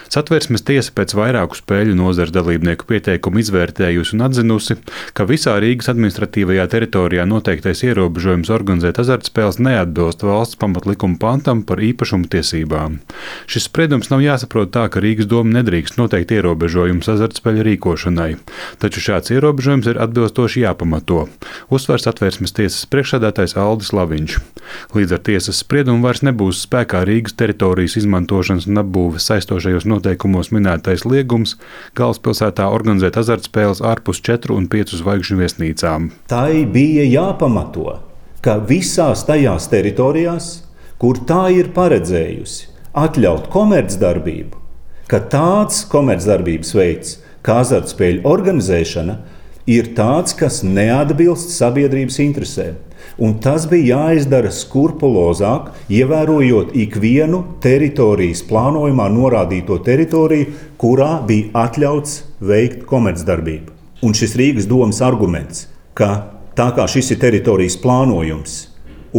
Satversmes tiesa pēc vairāku spēļu nozares dalībnieku pieteikumu izvērtējusi un atzinusi, ka visā Rīgas administratīvajā teritorijā noteiktais ierobežojums organizēt azartspēles neatbilst valsts pamatlikuma pantam par īpašumu tiesībām. Šis spriedums nav jāsaprot tā, ka Rīgas doma nedrīkst noteikt ierobežojumus azartspēļu rīkošanai, taču šāds ierobežojums ir atbilstoši jāpamato, uzsver Satversmes tiesas priekšsēdētājs Aldis Laviņš. Līdz ar tiesas spriedumu vairs nebūs spēkā Rīgas teritorijas izmantošanas un apbūves saistošajos noteikumos minētais liegums galvaspilsētā organizēt azartspēles ārpus 4 un 5 zvaigžņu viesnīcām. Tai bija jāpamato, ka visās tajās teritorijās, kur tā ir paredzējusi atļaut komercdarbību, ka tāds komercdarbības veids, kā azartspēļu organizēšana, ir tāds, kas neatbilst sabiedrības interesēm. Un tas bija jāizdara skrupulozāk, ievērojot ikvienu teritorijas plānojumā norādīto teritoriju, kurā bija atļauts veikt komercdarbību. Un šis Rīgas domas arguments, ka tā kā šis ir teritorijas plānojums,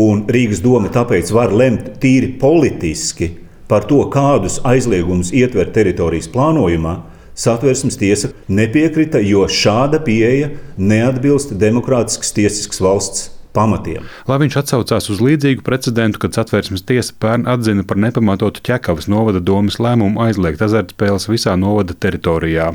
un Rīgas doma tāpēc var lemt tīri politiski par to, kādus aizliegumus ietver teritorijas plānojumā, Satversmes tiesa nepiekrita, jo šāda pieeja neatbilst demokrātiskas tiesiskas valsts pamatiem. Laviņš atsaucās uz līdzīgu precedentu, kad Satversmes tiesa pērn atzina par nepamatotu Ķekavas novada domes lēmumu aizliegt azartspēles visā novada teritorijā.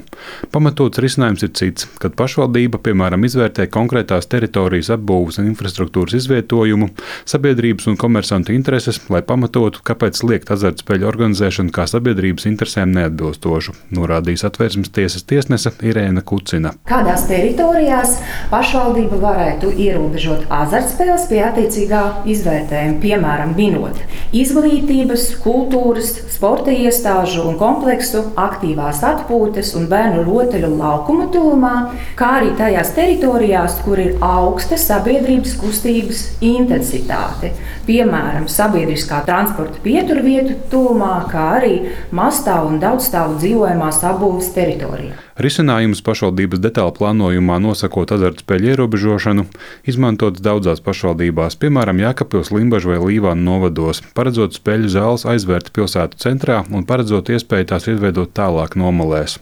Pamatots risinājums ir cits, kad pašvaldība, piemēram, izvērtē konkrētās teritorijas apbūves un infrastruktūras izvietojumu, sabiedrības un komersantu intereses, lai pamatotu, kāpēc liegt azartspēļu organizēšanu kā sabiedrības interesēm neatbilstošu, norādīja Satversmes tiesas tiesnese Irēna Kucina. Kādās teritorijās pašvaldība varētu ierobežot azartspēles pie attiecīgā izvērtējuma, piemēram, minot izglītības, kultūras, sporta iestāžu un kompleksu, aktīvās atpūtas un bērnu rotaļu laukuma tuvumā, kā arī tajās teritorijās, kur ir augsta sabiedrības kustības intensitāte, piemēram, sabiedriskā transporta pieturvietu tuvumā, kā arī mazstāvu un daudzstāvu dzīvojamās apbūves teritorijā. Risinājums pašvaldības detāla plānojumā nosakot azartspēļu ierobežošanu izmantots daudzās pašvaldībās, piemēram, Jēkabpils, Limbažu vai Līvānu novados, paredzot spēļu zāles aizvērt pilsētu centrā un paredzot iespēju tās izveidot tālāk nomalēs.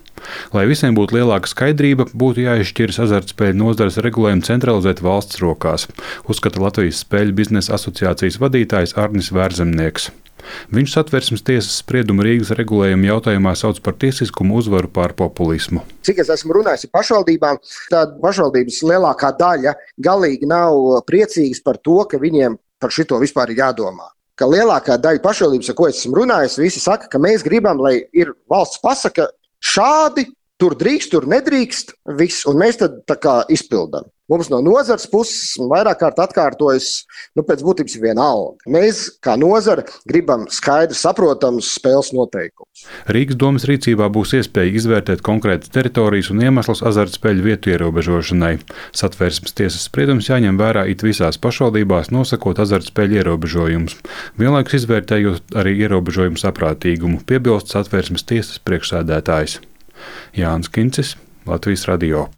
Lai visiem būtu lielāka skaidrība, būtu jāizšķiras azartspēļu nozares regulējumu centralizēt valsts rokās, uzskata Latvijas spēļu biznesa asociācijas vadītājs Arnis Vērzemnieks. Viņš Satversmes tiesas spriedumu Rīgas regulējuma jautājumā sauc par tiesiskumu uzvaru pār populismu. Cik es esmu runājis ar pašvaldībām, tad pašvaldības lielākā daļa galīgi nav priecīgas par to, ka viņiem par šito vispār ir jādomā. Ka lielākā daļa pašvaldības, ar ko es esmu runājis, visi saka, ka mēs gribam, lai ir valsts pasaka šādi, tur drīkst, tur nedrīkst, viss, un mēs tad tā kā izpildām. Mums no nozares puses vairāk kārt atkārtojas, pēc būtības viena alga. Mēs, kā nozare, gribam skaidri saprotams spēles noteikumus. Rīgas domas rīcībā būs iespēja izvērtēt konkrētas teritorijas un iemeslus azartspēļu vietu ierobežošanai. Satversmes tiesas spriedums jāņem vērā it visās pašvaldībās, nosakot azartspēļu ierobežojumus, vienlaikus izvērtējot arī ierobežojumu saprātīgumu, piebilst Satversmes tiesas priekšsēdētājs. Jānis Kincis, Latvijas radio.